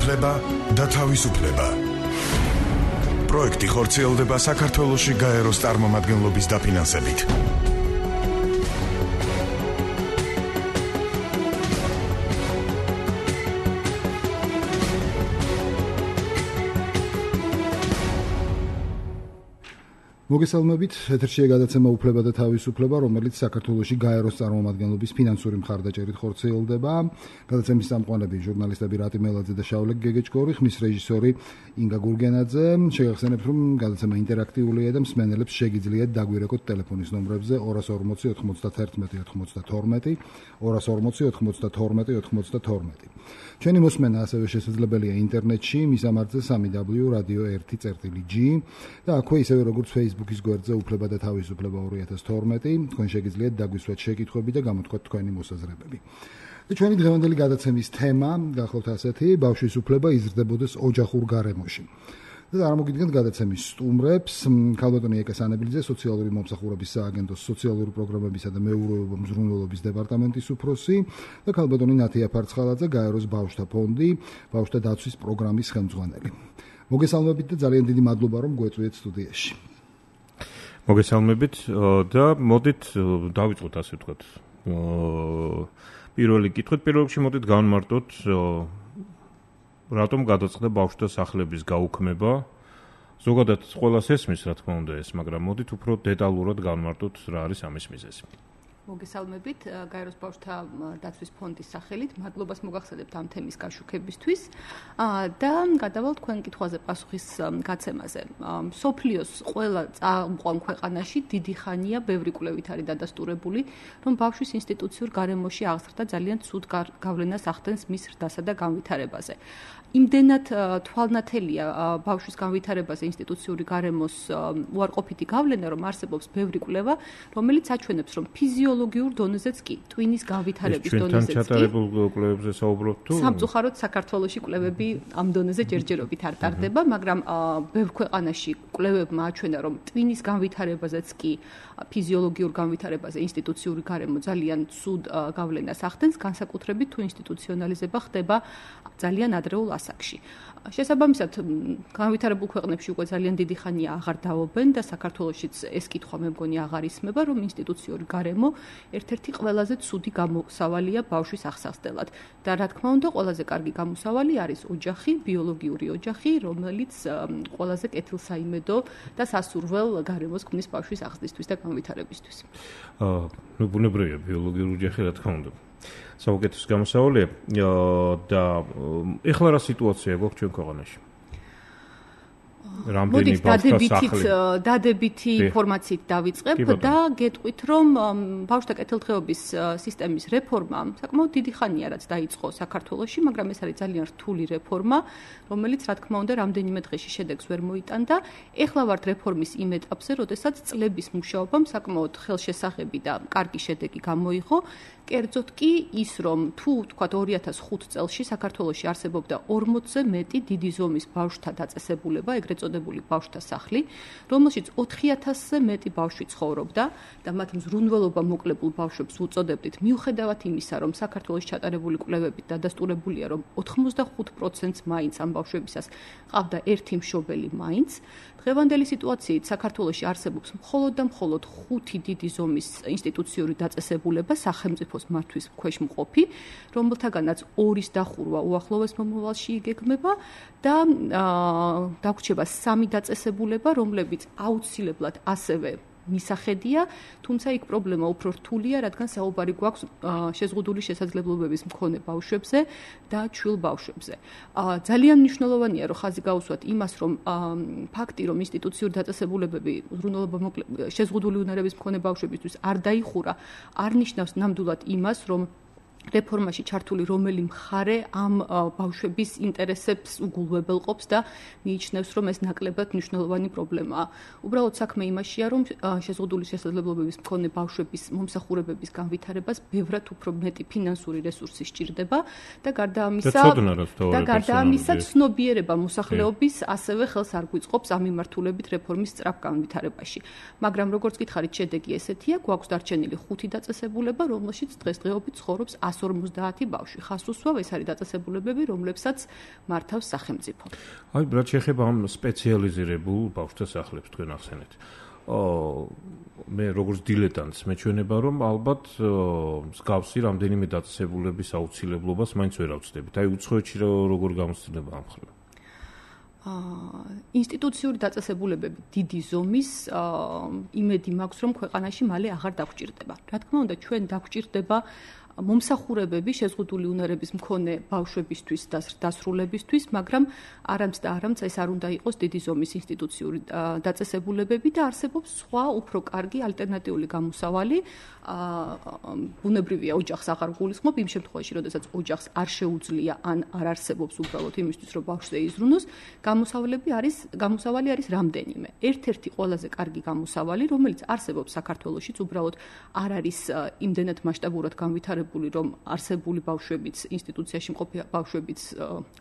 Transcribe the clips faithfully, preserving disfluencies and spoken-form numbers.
უფლება და თავისუფლება. პროექტი ხორციელდება საქართველოში გაეროს წარმომადგენლობის დაფინანსებით. მოგესალმებით, ეთერშია გადაცემა უფლება და თავისუფლება, რომელიც საქართველოში გაეროს წარმომადგენლობის ფინანსური მხარდაჭერით ხორციელდება. გადაცემის წამყვანები ჟურნალისტები რატი მელაძე და შავლაკ გეგეჭკორი, ხმის რეჟისორი ინგა გურგენაძე. შეგახსენებთ, რომ გადაცემა ინტერაქტიულია და მსმენელებს შეგიძლიათ დაგვირეკოთ ტელეფონის ნომრებზე ორას ორმოცი ოთხმოცდათერთმეტი ოთხმოცდათორმეტი, ორას ორმოცი ოთხმოცდათორმეტი ოთხმოცდათორმეტი. ჩვენი მოსმენა ასევე შესაძლებელია ინტერნეტში, მისამართზე სამი დაბლიუ რადიო ერთი წერტილი ჯი და აქვე ისევე როგორც Facebook-ის გვერდზე უფლება და თავისუფლება ორი ათას თორმეტი, თქვენ შეგიძლიათ დაგვისვათ შეკითხვები და გამოთქვათ თქვენი მოსაზრებები. და ჩვენი დღევანდელი გადაცემის თემა გახლავთ ასეთი: ბავშვის უფლება იზრდებოდეს ოჯახურ გარემოში. და წარმოგიდგენთ გადაცემის სტუმრებს: ქალბატონი ეკა სანებლიძე, სოციალური მომსახურების სააგენტოს სოციალური პროგრამებისა და მეურვეობა მზრუნველობის დეპარტამენტის უფროსი და ქალბატონი ნათია ფარცხალაძე, გაეროს ბავშვთა ფონდი, ბავშვთა დაცვის პროგრამის ხელმძღვანელი. მოგესალმებით და ძალიან დიდი მადლობა, რომ გვეწვიეთ სტუდიაში. მოგესალმებით და მოდით დავიწყოთ ასე ვთქვათ. პირველი კითხვით, პირველ რიგში მოდით განმარტოთ, რატომ გადაწყდა ბავშვთა სახლების გაუქმება. ზოგადად ყველას ესმის, რა თქმა უნდა ეს, მაგრამ მოდით უფრო დეტალურად განმარტოთ, რა არის ამის მიზეზი. მოგესალმებით, გაეროს ბავშვთა დაცვის ფონდის სახელით. მადლობას მოგახსენებთ ამ თემის გაშუქებისთვის და გადავალ თქვენ კითხვაზე პასუხის გაცემაზე. მსოფლიოს ყველა წამყვან ქვეყანაში დიდი ხანია ბევრი კვლევით არის დადასტურებული, რომ ბავშვის ინსტიტუციურ გარემოში აღზრდა ძალიან ცუდ გავლენას ახდენს მის ზრდასა და განვითარებაზე. იმდენად თვალნათელია ბავშვის განვითარებაზე ინსტიტუციური გარემოს უარყოფითი გავლენა, რომ არსებობს ბევრი კვლევა, რომელიც აჩვენებს, რომ ფიზიოლოგიურ დონეზეც კი, ტვინის განვითარების დონეზეც კი. ჩვენთან ჩატარებულ კვლევებზე საუბრობთ თუ? სამწუხაროდ საქართველოში კვლევები ამ დონეზე ჯერჯერობით არ ტარდება, მაგრამ ბევრ ქვეყანაში კვლევებმა აჩვენა, რომ ტვინის განვითარებაზეც კი, ფიზიოლოგიურ განვითარებაზე ინსტიტუციური გარემო ძალიან ცუდ გავლენას ახდენს, განსაკუთრებით თუ ინსტიტუციონალიზება ხდება ძალიან ადრეულ ასაკში. შესაბამისად, განვითარებულ ქვეყნებში უკვე ძალიან დიდი ხანია აღარ დაობენ და საქართველოშიც ეს კითხვა მე მგონი აღარ ისმება, რომ ინსტიტუციური გარემო ერთ-ერთი ყველაზე ცუდი გამოსავალია ბავშვის აღსავსდელად. და რა თქმა უნდა, ყველაზე კარგი გამოსავალი არის ოჯახი, ბიოლოგიური ოჯახი, რომელიც ყველაზე კეთილსაიმედო და სასურველ გარემოს ქმნის ბავშვის აღზრდისთვის და განვითარებისთვის. აა, ნუ ბუნებრივია ბიოლოგიური ოჯახი, რა თქმა უნდა. საუკეთესო გამოსავალია და ეხლა რა სიტუაცია გვაქვს ჩვენ ქვეყანაში? მოდით დადებითით დადებითი ინფორმაციით დავიწყებ და გეტყვით, რომ ბავშვთა კეთილდღეობის სისტემის რეფორმა საკმაოდ დიდი ხანია რაც დაიწყო საქართველოში, მაგრამ ეს არის ძალიან რთული რეფორმა, რომელიც რა თქმა უნდა რამდენიმე დღეში შედეგს ვერ მოიტანდა. ეხლა ვართ რეფორმის იმ ეტაპზე, როდესაც წლების მუშაობამ საკმაოდ ხელშესახები და კარგი შედეგი გამოიღო. კერძოდ კი ის, რომ თუ თქვათ ორი ათას ხუთი წელში საქართველოში არსებობდა ორმოცზე მეტი დიდი ზომის ბავშვთა დაწესებულება, ეგრეთ წოდებული ბავშვთა სახლი, რომელშიც ოთხი ათასზე მეტი ბავშვი ცხოვრობდა და მათ მზრუნველობა მოკლებულ ბავშვებს უწოდებდით, მიუხედავად იმისა, რომ საქართველოში ჩატარებული კვლევებით დადასტურებულია, რომ ოთხმოცდახუთ პროცენტს მაინც ამ ბავშვებისას ყავდა ერთი მშობელი მაინც. დღევანდელი სიტუაციით საქართველოში არსებობს მხოლოდ და მხოლოდ ხუთი დიდი ზომის ინსტიტუციური დაწესებულება სახელმწიფოს მართვის ქვეშ მყოფი, რომელთაგანაც ორის დახურვა უახლოეს მომავალში იგეგმება და დაგვრჩება სამი დაწესებულება, რომლებიც აუცილებლად ასევე მისახედია, თუმცა იქ პრობლემა უფრო რთულია, რადგან საუბარი გვაქვს შეზღუდული შესაძლებლობების მქონე ბავშვებზე და ჩვილ ბავშვებზე. ძალიან მნიშვნელოვანია, რომ ხაზი გაუსვათ იმას, რომ ფაქტი, რომ ინსტიტუციური დაწესებულებები უზრუნველობა შეზღუდული უნარების მქონე ბავშვებისთვის არ დაიხურა, არ ნიშნავს ნამდვილად იმას, რომ რეფორმაში ჩართული რომელი მხარე ამ ბავშვების ინტერესებს უგულვებელყოფს და მიიჩნევს, რომ ეს ნაკლებად მნიშვნელოვანი პრობლემაა. უბრალოდ საქმე იმაშია, რომ შეზღუდული შესაძლებლობების მქონე ბავშვების მომსახურებების განვითარებას ბევრად უფრო მეტი ფინანსური რესურსი სჭირდება და გარდა ამისა და გარდა ამისა ცნობიერება მოსახლეობის ასევე ხელს არ გვიწყობს ამ მიმართულებით რეფორმის სწრაფ განვითარებაში. მაგრამ როგორც გითხარით, შედეგი ესეთია, გვაქვს დარჩენილი ხუთი დაწესებულება, რომელშიც დღესდღეობით ცხოვრობს ხუთს ორმოცდაათი ბავშვი. ხას უსვავ, ეს არის დაწესებულებები, რომლებსაც მართავს სახელმწიფო. აი, რაც შეეხება ამ სპეციალიზირებულ ბავშვთა სახლებს თქვენ ახსენეთ. მე როგორც დილეტანტს მეჩვენება, რომ ალბათ მსგავსი რამდენიმე დაწესებულების აუცილებლობას მაინც ვერ ავწდებით. აი, უცხოეთში როგორ გამოსცემდება ამ მხრივ? ინსტიტუციური დაწესებულებები დიდი ზომის იმედი მაქვს, რომ ქვეყანაში მალე აღარ დაგჭირდება. რა თქმა უნდა, ჩვენ დაგჭირდება მომსახურებები შეზღუდული უნარების მქონე ბავშვებისთვის და დასრულებისთვის, მაგრამ არამც და არამც ეს არ უნდა იყოს დიდი ზომის ინსტიტუციური დაწესებულებები და არსებობს სხვა უფრო კარგი ალტერნატიული გამოსავალი. ბუნებრივია ოჯახს აღარ გულისხმობ იმ შემთხვევაში, როდესაც ოჯახს არ შეუძლია ან არ არსებობს უბრალოდ იმისთვის, რომ ბავშვზე იზრუნოს, გამოსავლები არის გამოსავალი არის რამდენიმე. ერთ-ერთი ყველაზე კარგი გამოსავალი, რომელიც არსებობს საქართველოშიც, უბრალოდ არ არის იმდენად მასშტაბურად განვითარებული, რომ არსებული ბავშვებიც, ინსტიტუციაში მყოფი ბავშვებიც,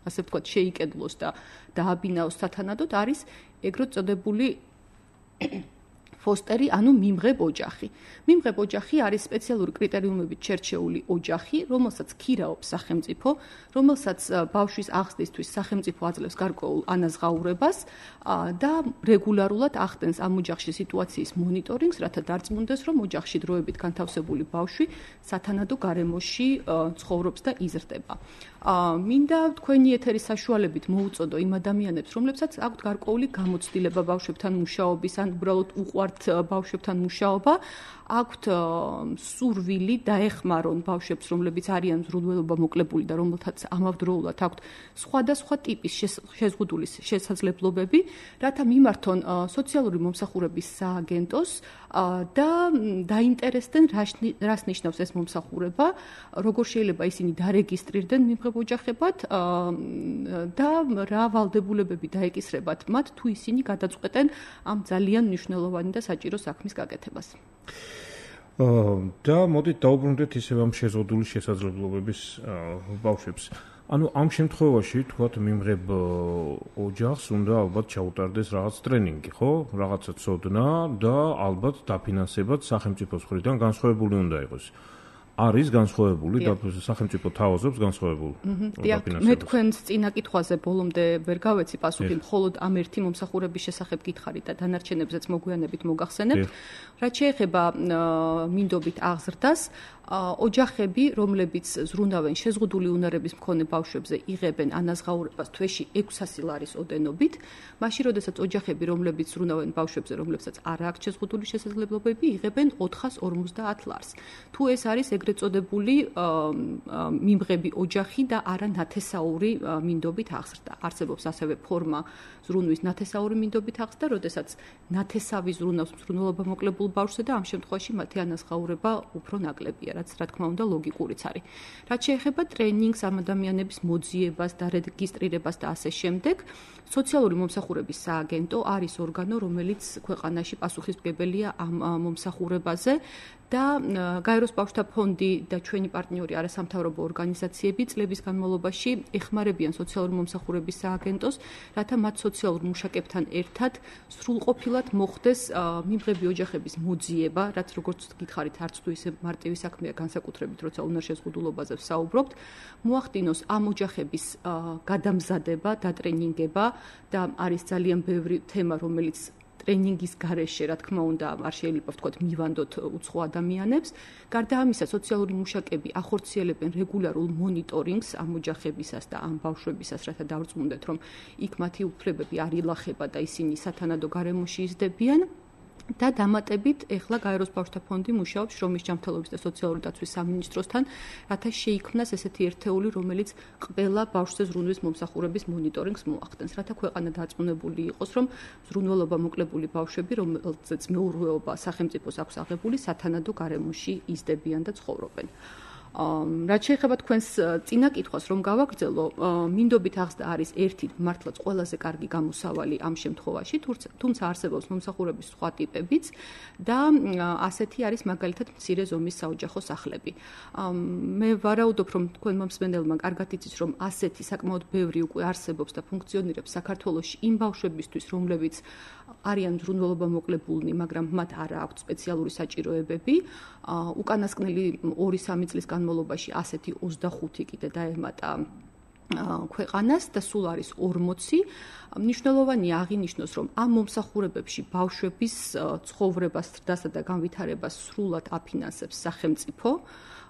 ასე ვთქვათ, შეიკედლოს და დააბინაოს სათანადოდ, არის ეგრეთ წოდებული ფოსტერი, ანუ მიმღებ ოჯახი. მიმღებ ოჯახი არის სპეციალური კრიტერიუმებით შერჩეული ოჯახი, რომელსაც ქირაობს სახელმწიფო, რომელსაც ბავშვის აღზრდისთვის სახელმწიფო აძლევს გარკვეულ ანაზღაურებას და რეგულარულად ახდენს ამ ოჯახში სიტუაციის მონიტორინგს, რათა დარწმუნდეს, რომ ოჯახში დროებით განთავსებული ბავშვი სათანადო გარემოში ცხოვრობს და იზრდება. მინდა თქვენი ეთერის საშუალებით მოუწოდო იმ ადამიანებს, რომლებსაც აქვთ გარკვეული გამოცდილება ბავშვებთან მუშაობის ან უბრალოდ უყვართ ბავშვებთან მუშაობა, აქვთ სურვილი დაეხმარონ ბავშვებს, რომლებიც არიან ზრუნველობა მოკლებული და რომელთაც ამავდროულად აქვთ სხვადასხვა ტიპის შეზღუდული შესაძლებლობები, რათა მიმართონ სოციალური მომსახურების სააგენტოს და დაინტერესდნენ, რას ნიშნავს ეს მომსახურება, როგორ შეიძლება ისინი დარეგისტრირდნენ მიმღებ ოჯახებად და რა ვალდებულებები დაეკისრებათ მათ, თუ ისინი გადაწყვეტენ ამ ძალიან მნიშვნელოვანი და საჭირო საქმის გაკეთებას. და მოდით დაუბრუნდეთ ისევ ამ შეზღუდული შესაძლებლობების ბავშვებს. ანუ ამ შემთხვევაში თქვათ მიმღებ ოჯახს უნდა ალბათ ჩაუტარდეს რაღაც ტრენინგი, ხო? რაღაცა ცოდნა და ალბათ დაფინანსებად სახელმწიფოს მხრიდან განსხვავებული უნდა იყოს. არის განსხვავებული და სახელმწიფო თავაზობს განსხვავებული დაფინანსებას. მე თქვენს წინა კითხვაზე ბოლომდე ვერ გავეცი პასუხი, მხოლოდ ამ ერთი მომსახურების შესახებ გითხარით და დანარჩენებზეც მოგვიანებით მოგახსენებთ. რაც შეეხება მინდობით აღზრდას, ოჯახები, რომლებიც ზრუნავენ შეზღუდული უნარების მქონე ბავშვებზე, იღებენ ანაზღაურებას თვეში ექვსასი ლარის ოდენობით, მაშინ როდესაც ოჯახები, რომლებიც ზრუნავენ ბავშვებზე, რომლებსაც არ აქვს შეზღუდული შესაძლებლობები, იღებენ ოთხას ორმოცდაათ ლარს. თუ ეს არის ეგრეთ წოდებული მიმღები ოჯახი და არა ნათესაური მინდობით აღზრდა. არსებობს ასევე ფორმა ზრუნვის ნათესაური მინდობით აღზრდა, როდესაც ნათესავი ზრუნავს ზრუნველობა მოკლებულ ბავშვზე და ამ შემთხვევაში მათი ანაზღაურება უფრო ნაკლებია, რაც რა თქმა უნდა ლოგიკურიც არის. რაც შეეხება ტრენინგს, ამ ადამიანების მოძიებას და რეგისტრირებას და ასე შემდეგ, სოციალური მომსახურების სააგენტო არის ორგანო, რომელიც ქვეყანაში პასუხისმგებელია ამ მომსახურებაზე და გაეროს ბავშვთა ფონდი და ჩვენი პარტნიორი არასამთავრობო ორგანიზაციები წლების განმავლობაში ეხმარებიან სოციალური მომსახურების სააგენტოს, რათა მათ სოციალურ მუშაკებთან ერთად სრულყოფილად მოხდეს მიმღები ოჯახების მოძიება, რაც როგორც გითხარით, არც თუ ისე მარტივი საქმეა, განსაკუთრებით როცა უნარშეზღუდულობაზე ვსაუბრობთ, მოახდინოს ამ ოჯახების გადამზადება, დატრენინგება და არის ძალიან ბევრი თემა, რომელიც ტრენინგის გარეშე, რა თქმა უნდა, არ შეიძლება ვთქვათ მივანდოთ უცხო ადამიანებს. გარდა ამისა, სოციალური მუშაკები ახორციელებენ რეგულარულ მონიტორინგს ამ ოჯახებისას და ამ ბავშვებისას, რათა დავრწმუნდეთ, რომ იქ მათი უფლებები არ ილახება და ისინი სათანადო გარემოში იზრდებიან. და დამატებით, ეხლა გაეროს ბავშვთა ფონდი მუშაობს შრომის ჯანმრთელობის და სოციალური დაცვის სამინისტროსთან, რათა შეიქმნას ესეთი ერთეული, რომელიც ყველა ბავშვზე ზრუნვის მომსახურების მონიტორინგს მოახდენს, რათა ქვეყანა დარწმუნებული იყოს, რომ ზრუნველობა მოკლებული ბავშვები, რომელზეც მეურვეობა სახელმწიფოს აქვს აღებული, სათანადო გარემოში იზრდებიან და ცხოვრობენ. რაც შეეხება თქვენს წინა კითხვას, რომ გავაგრძელო, მინდობით აღზრდა არის ერთი მართლაც ყველაზე კარგი გამოსავალი ამ შემთხვევაში, თუმცა არსებობს მომსახურების სხვა ტიპებიც და ასეთი არის მაგალითად მცირე ზომის საოჯახო სახლები. მე ვარაუდობ, რომ თქვენ მომსმენელმა კარგად იცის, რომ ასეთი საკმაოდ ბევრი უკვე არსებობს და ფუნქციონირებს საქართველოში იმ ბავშვებისთვის, რომლებიც არიან ზრუნველობა მოკლებულნი, მაგრამ მათ არ აქვთ სპეციალური საჭიროებები. უკანასკნელი ორი სამი წლის განმავლობაში განმავლობაში ასეთი ოცდახუთი კიდე დაემატა ქვეყანას და სულ არის ორმოცი. მნიშვნელოვანია აღინიშნოს, რომ ამ მომსახურებებში ბავშვების ცხოვრებას, ზრდასა და განვითარებას სრულად აფინანსებს სახელმწიფო.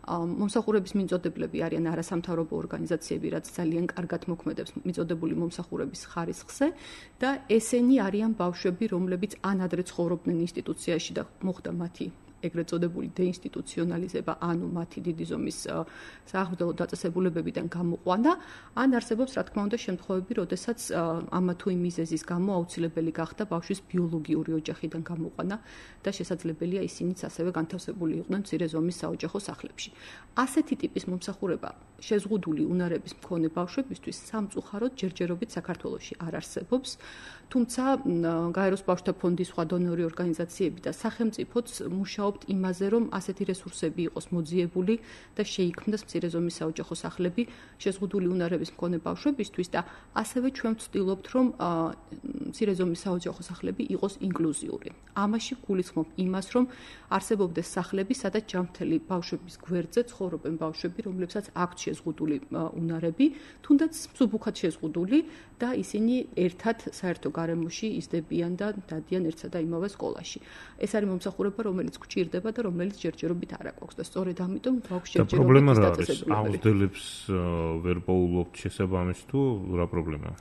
მომსახურების მიმწოდებლები არიან არასამთავრობო ორგანიზაციები, რაც ძალიან კარგად მოქმედებს მიწოდებული მომსახურების ხარისხზე და ესენი არიან ბავშვები, რომლებიც ანადრე ცხოვრობდნენ ინსტიტუციაში და მოხდა მათი ეგრეთ წოდებული დეინსტიტუციონალიზება, ანუ მათი დიდი ზომის საახმრელო დაწესებულებებიდან გამოყვანა, ან არსებობს, რა თქმა უნდა, შემთხვევები, როდესაც ამა თუ იმ მიზეზის გამო აუცილებელი გახდა ბავშვის ბიოლოგიური ოჯახიდან გამოყვანა და შესაძლებელია ისინიც ასევე განთავსებული იყვნენ მცირე ზომის საოჯახო სახლებში. ასეთი ტიპის მომსახურება შეზღუდული უნარების მქონე ბავშვებისთვის სამწუხაროდ ჯერჯერობით საქართველოში არ არსებობს, თუმცა გაეროს ბავშვთა ფონდის სხვა დონორი ორგანიზაციები და სახელმწიფოც მუშაობთ იმაზე, რომ ასეთი რესურსები იყოს მოძიებული და შეიქმნას მცირე ზომის საოჯახო სახლები შეზღუდული უნარების მქონე ბავშვებისთვის და ასევე ჩვენ ვცდილობთ, რომ მცირე ზომის საოჯახო სახლები იყოს ინკლუზიური. ამაში გულისხმობ იმას, რომ არსებობდეს სახლები, სადაც ჯანმრთელი ბავშვების გვერდზე ცხოვრობენ ბავშვები, რომლებსაც აქვთ შეზღუდული უნარები, თუნდაც მსუბუქად შეზღუდული და ისინი ერთად საერთო გარემოში იზრდებიან და დადიან ერთსა და იმავე სკოლაში. ეს არის მომსახურება, რომელიც გვჭირდება და რომელიც ჯერჯერობით არ აქვს და სწორედ ამიტომ გვაქვს ჯერჯერობით დაწესებულებები. აუზრდელებს ვერ პოულობთ შესაბამის თუ რა პრობლემაა?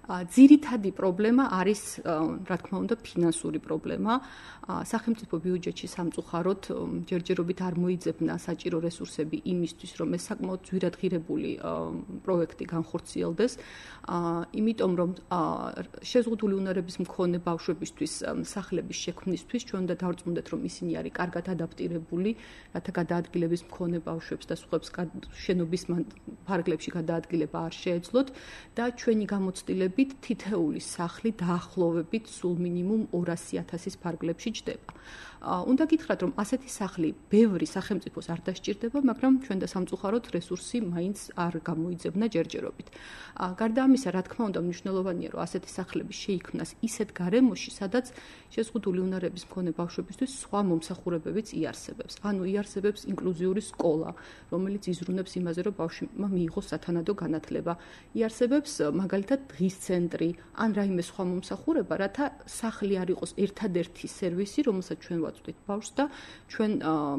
ძირითადი პრობლემა არის, რა თქმა უნდა, ფინანსური პრობლემა. სახელმწიფო ბიუჯეტში სამწუხაროდ ჯერჯერობით არ მოიძებნა საჭირო რესურსები იმისთვის, რომ ეს საკმაოდ ძვირადღირებული პროექტი განხორციელდეს. იმიტომ რომ შეზღუდული უნარების მქონე ბავშვებისთვის სახლების შექმნისთვის ჩვენ უნდა დავრწმუნდეთ, რომ ისინი არის კარგად ადაპტირებული, რათა გადაადგილების მქონე ბავშვებს და სხვებს შენობის ფარგლებში გადაადგილება არ შეეძლოთ და ჩვენი გამოცდილებით თითეული სახლი დაახლოებით სულ მინიმუმ ორასი ათასის ფარგლებში ჯდება. უნდა გითხრათ, რომ ასეთი სახლი ბევრი სახელმწიფოს არ დასჭირდება, მაგრამ ჩვენ და სამწუხაროდ რესურსი მაინც არ გამოიძებნა ჯერჯერობით. გარდა ამისა, რა თქმა უნდა, მნიშვნელოვანია, რომ ასეთი სახლები შეიქმნას ისეთ გარემოში, სადაც შეზღუდული უნარების მქონე ბავშვებისთვის სხვა მომსახურებებიც იარსებებს. ანუ იარსებებს ინკლუზიური სკოლა, რომელიც იზრუნებს იმაზე, რომ ბავშვმა მიიღოს სათანადო განათლება. იარსებებს მაგალითად დღის ცენტრი ან რაიმე სხვა მომსახურება, რათა სახლი არ იყოს ერთადერთი სერვისი, რომელსაც ჩვენ ვაწვდით ბავშვს და ჩვენ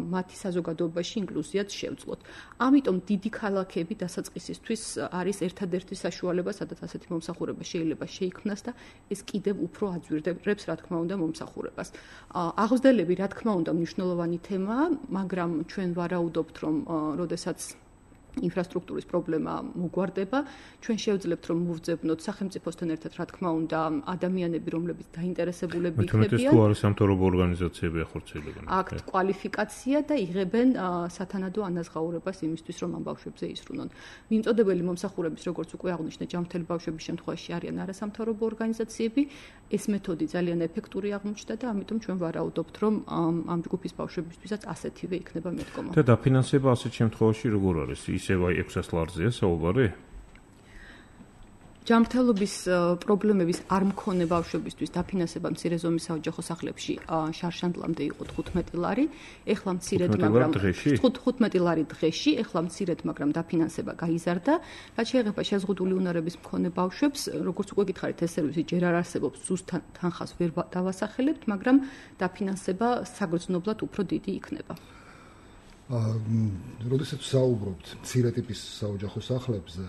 მათი საზოგადოებაში ინკლუზიაც შევძლოთ. ამიტომ დიდი ქალაქები დასაწყისისთვის არის ერთადერთი საშუალება, სადაც ასეთი მომსახურება შეიძლება შეიქმნას და ეს კიდევ უფრო აძვირდებს, რა თქმა უნდა, მომსახურებას. აღზრდელები, რა თქმა უნდა, მნიშვნელოვანი თემაა, მაგრამ ჩვენ ვარაუდობთ, რომ როდესაც ინფრასტრუქტურის პრობლემა მოგვარდება, ჩვენ შევძლებთ, რომ მოვძებნოთ სახელმწიფოსთან ერთად, რა თქმა უნდა, ადამიანები, რომლებიც დაინტერესებულები იქნებიან. მეთქმეტეს თუ არის სამთავრობო ორგანიზაციები ახორციელებენ. აქვთ კვალიფიკაცია და იღებენ სათანადო ანაზღაურებას იმისთვის, რომ ამ ბავშვებზე ისრუნონ. მიმწოდებელი მომსახურების, როგორც უკვე აღვნიშნე, ჯანმრთელი ბავშვების შემთხვევაში არიან არასამთავრობო ორგანიზაციები. ეს მეთოდი ძალიან ეფექტური აღმოჩნდა და ამიტომ ჩვენ ვარაუდობთ, რომ ამ ჯგუფის ბავშვებისთვისაც ასეთივე იქნება მიდგომა. და დაფინანსება ასეთ შემთხვევაში როგორ არის? ისევ აი ექვსას ლარზეა საუბარი? ჯანმრთელობის პრობლემების არ მქონე ბავშვებისთვის დაფინანსება მცირე ზომის საოჯახო სახლებში შარშანდლამდე იყო თხუთმეტი ლარი, ეხლა მცირედ, მაგრამ თხუთმეტი ლარი დღეში, ეხლა მცირედ, მაგრამ დაფინანსება გაიზარდა. რაც შეეხება შეზღუდული უნარების მქონე ბავშვებს, როგორც უკვე გითხარით, ეს სერვისი ჯერ არ არსებობს, ზუსტ თანხას ვერ დავასახელებთ, მაგრამ დაფინანსება საგრძნობლად უფრო დიდი იქნება. როდესაც საუბრობთ მცირე ტიპის საოჯახო სახლებზე,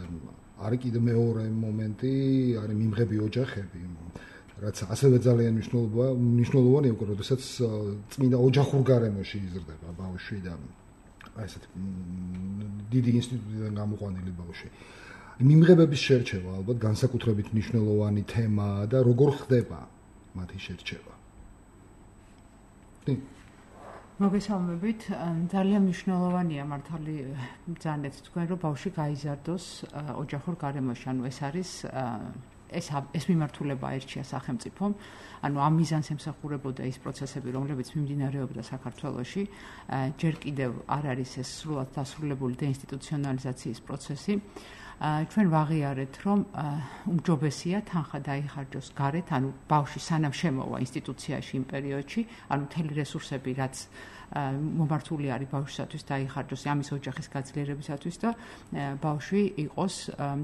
არის კიდე მეორე მომენტი, არის მიმღები ოჯახები, რაც ასევე ძალიან მნიშვნელოვანია, უკვე როდესაც წმინდა ოჯახურ გარემოში იზრდება ბავშვი და ესეთ დიდი ინსტიტუტიდან გამოყვანილი ბავშვი. მიმღებების შერჩევა ალბათ განსაკუთრებით მნიშვნელოვანი თემაა და როგორ ხდება მათი შერჩევა? მოგესალმებით, ძალიან მნიშვნელოვანია მართალი ბრძანეთ თქვენ, რომ ბავშვი გაიზარდოს ოჯახურ გარემოში, ანუ ეს არის ეს ეს მიმართულება აირჩია სახელმწიფომ, ანუ ამ მიზანს ემსახურებოდა ის პროცესები, რომლებიც მიმდინარეობდა საქართველოში, ჯერ კიდევ არ არის ეს სრულად დასრულებული დეინსტიტუციონალიზაციის პროცესი. ჩვენ ვაღიარეთ, რომ უმჯობესია თანხა დაიხარჯოს გარეთ, ანუ ბავშვი სანამ შემოვა ინსტიტუციაში იმ პერიოდში, ანუ მთელი რესურსები, რაც მომართული არის ბავშვისათვის დაიხარჯოს ამის ოჯახის გაძლიერებისათვის და ბავშვი იყოს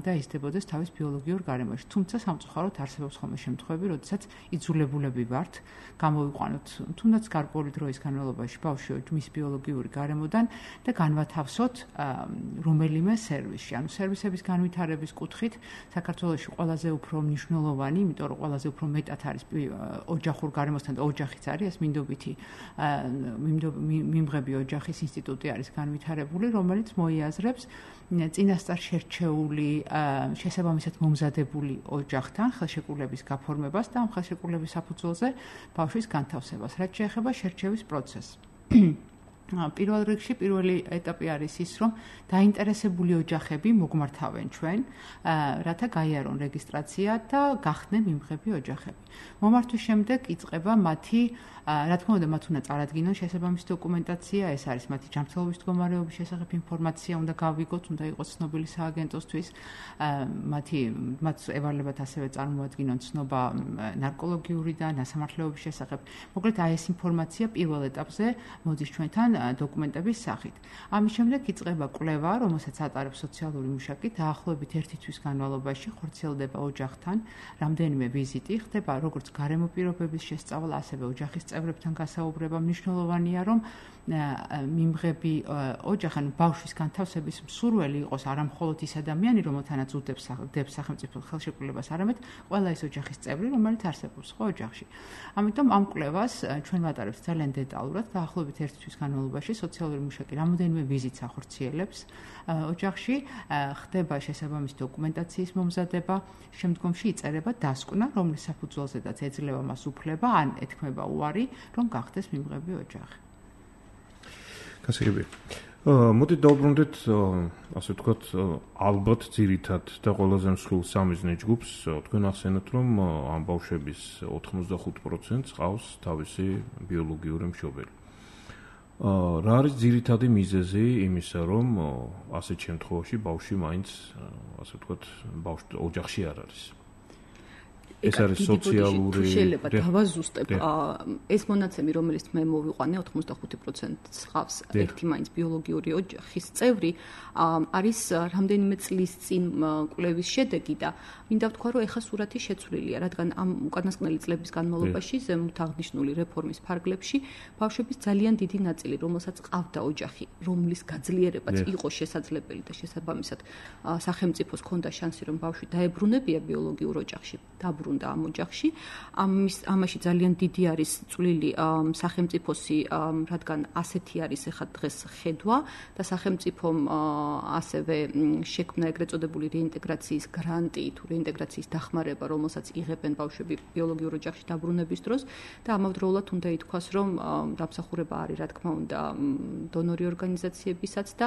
და იზრდებოდეს თავის ბიოლოგიურ გარემოში. თუმცა სამწუხაროდ არსებობს ხოლმე შემთხვევები, როდესაც იძულებულები ვართ გამოვიყვანოთ თუნდაც გარკვეული დროის განმავლობაში ბავშვი მის ბიოლოგიური გარემოდან და განვათავსოთ რომელიმე სერვისში. ანუ სერვისების განვითარების კუთხით საქართველოში ყველაზე უფრო მნიშვნელოვანი, იმიტომ რომ ყველაზე უფრო მეტად არის ოჯახურ გარემოსთან და ოჯახიც არის ეს მინდობითი მიმღები ოჯახის ინსტიტუტი არის განვითარებული, რომელიც მოიაზრებს წინასწარ შერჩეული, შესაბამისად მომზადებული ოჯახთან ხელშეკრულების გაფორმებას და ამ ხელშეკრულების საფუძველზე ბავშვის განთავსებას, რაც შეეხება შერჩევის პროცესს. პირველ რიგში პირველი ეტაპი არის ის, რომ დაინტერესებული ოჯახები მოგმართავენ ჩვენ, რათა გაიარონ რეგისტრაცია და გახდნენ მიმღები ოჯახები. მომართვის შემდეგ იწყება მათი რა თქმა უნდა, მათ უნდა წარადგინონ შესაბამისი დოკუმენტაცია, ეს არის მათი ჯანმრთელობის მდგომარეობის შესახებ ინფორმაცია, უნდა გავიგოთ, უნდა იყოს ცნობილი სააგენტოსთვის, მათი მათ ევალებათ ასევე წარმოადგინონ ცნობა ნარკოლოგიური და ნასამართლეობის შესახებ. მოკლედ, აი ეს ინფორმაცია პირველ ეტაპზე მოდის ჩვენთან დოკუმენტების სახით. ამის შემდეგ იწყება კვლევა, რომელსაც ატარებს სოციალური მუშაკი, დაახლოებით ერთი თვის განმავლობაში ხორციელდება ოჯახთან, რამდენიმე ვიზიტი, ხდება როგორც გარემო პირობების შესწავლა, ასევე ოჯახის წევრებთან გასაუბრება. მნიშვნელოვანია, რომ მიმღები ოჯახი, ანუ ბავშვის განთავსების მსურველი იყოს არა მხოლოდ ის ადამიანი, რომელთანაც უდებს სახელმწიფო ხელშეკრულებას, არამედ ყველა ის ოჯახის წევრი, რომელიც არსებობს ხო ოჯახში. ამიტომ ამ კვლევას ჩვენ ვატარებთ ძალიან დეტალურად, დაახლოებით ერთი თვის განმავლობაში სოციალური მუშაკი რამოდენიმე ვიზიტს ახორციელებს ოჯახში, ხდება შესაბამისი დოკუმენტაციის მომზადება, შემდგომში იწერება დასკვნა, რომლის საფუძველზედაც ეძლევა მას უფლება, ან ეთქმება უარი, რომ გახდეს მიმღები ოჯახი. გასაგები. მოდით დავუბრუნდეთ, ასე ვთქვათ, ალბათ ძირითად და ყველაზე მსხვილ სამიზნე ჯგუფს, თქვენ ახსენეთ, რომ ამ ბავშვების ოთხმოცდახუთ პროცენტს ყავს თავისი ბიოლოგიური მშობელი. რა არის ძირითადი მიზეზი იმისა, რომ ასეთ შემთხვევაში ბავშვი მაინც, ასე ვთქვათ, ბავშვი ოჯახში არ არის? ეს არის სოციალური შეიძლება დავაზუსტებ ეს მონაცემი, რომელიც მე მოვიყვანე ოთხმოცდახუთი პროცენტს ყავს ერთი მაინც ბიოლოგიური ოჯახის წევრი, არის რამდენიმე წლის წინ კვლევის შედეგი და მინდა ვთქვა, რომ ეხა სურათი შეცვლილია, რადგან ამ უკანასკნელი წლების განმავლობაში ზემოთ აღნიშნული რეფორმის ფარგლებში ბავშვების ძალიან დიდი ნაწილი, რომელსაც ყავდა ოჯახი, რომლის გაძლიერებაც იყო შესაძლებელი და შესაბამისად სახელმწიფოს ჰქონდა შანსი, რომ ბავშვი დაებრუნებია ბიოლოგიურ ოჯახში, დაბრუნდა ამ ოჯახში. ამის ამაში ძალიან დიდი არის წვლილი სახელმწიფოსი, რადგან ასეთი არის ეხლა დღეს ხედვა და სახელმწიფომ ასევე შექმნა ეგრეთ წოდებული რეინტეგრაციის გრანტი თუ რეინტეგრაციის დახმარება, რომელსაც იღებენ ბავშვები ბიოლოგიურ ოჯახში დაბრუნების დროს და ამავდროულად უნდა ითქვას, რომ დამსახურება არის, რა თქმა უნდა, დონორი ორგანიზაციებისაც და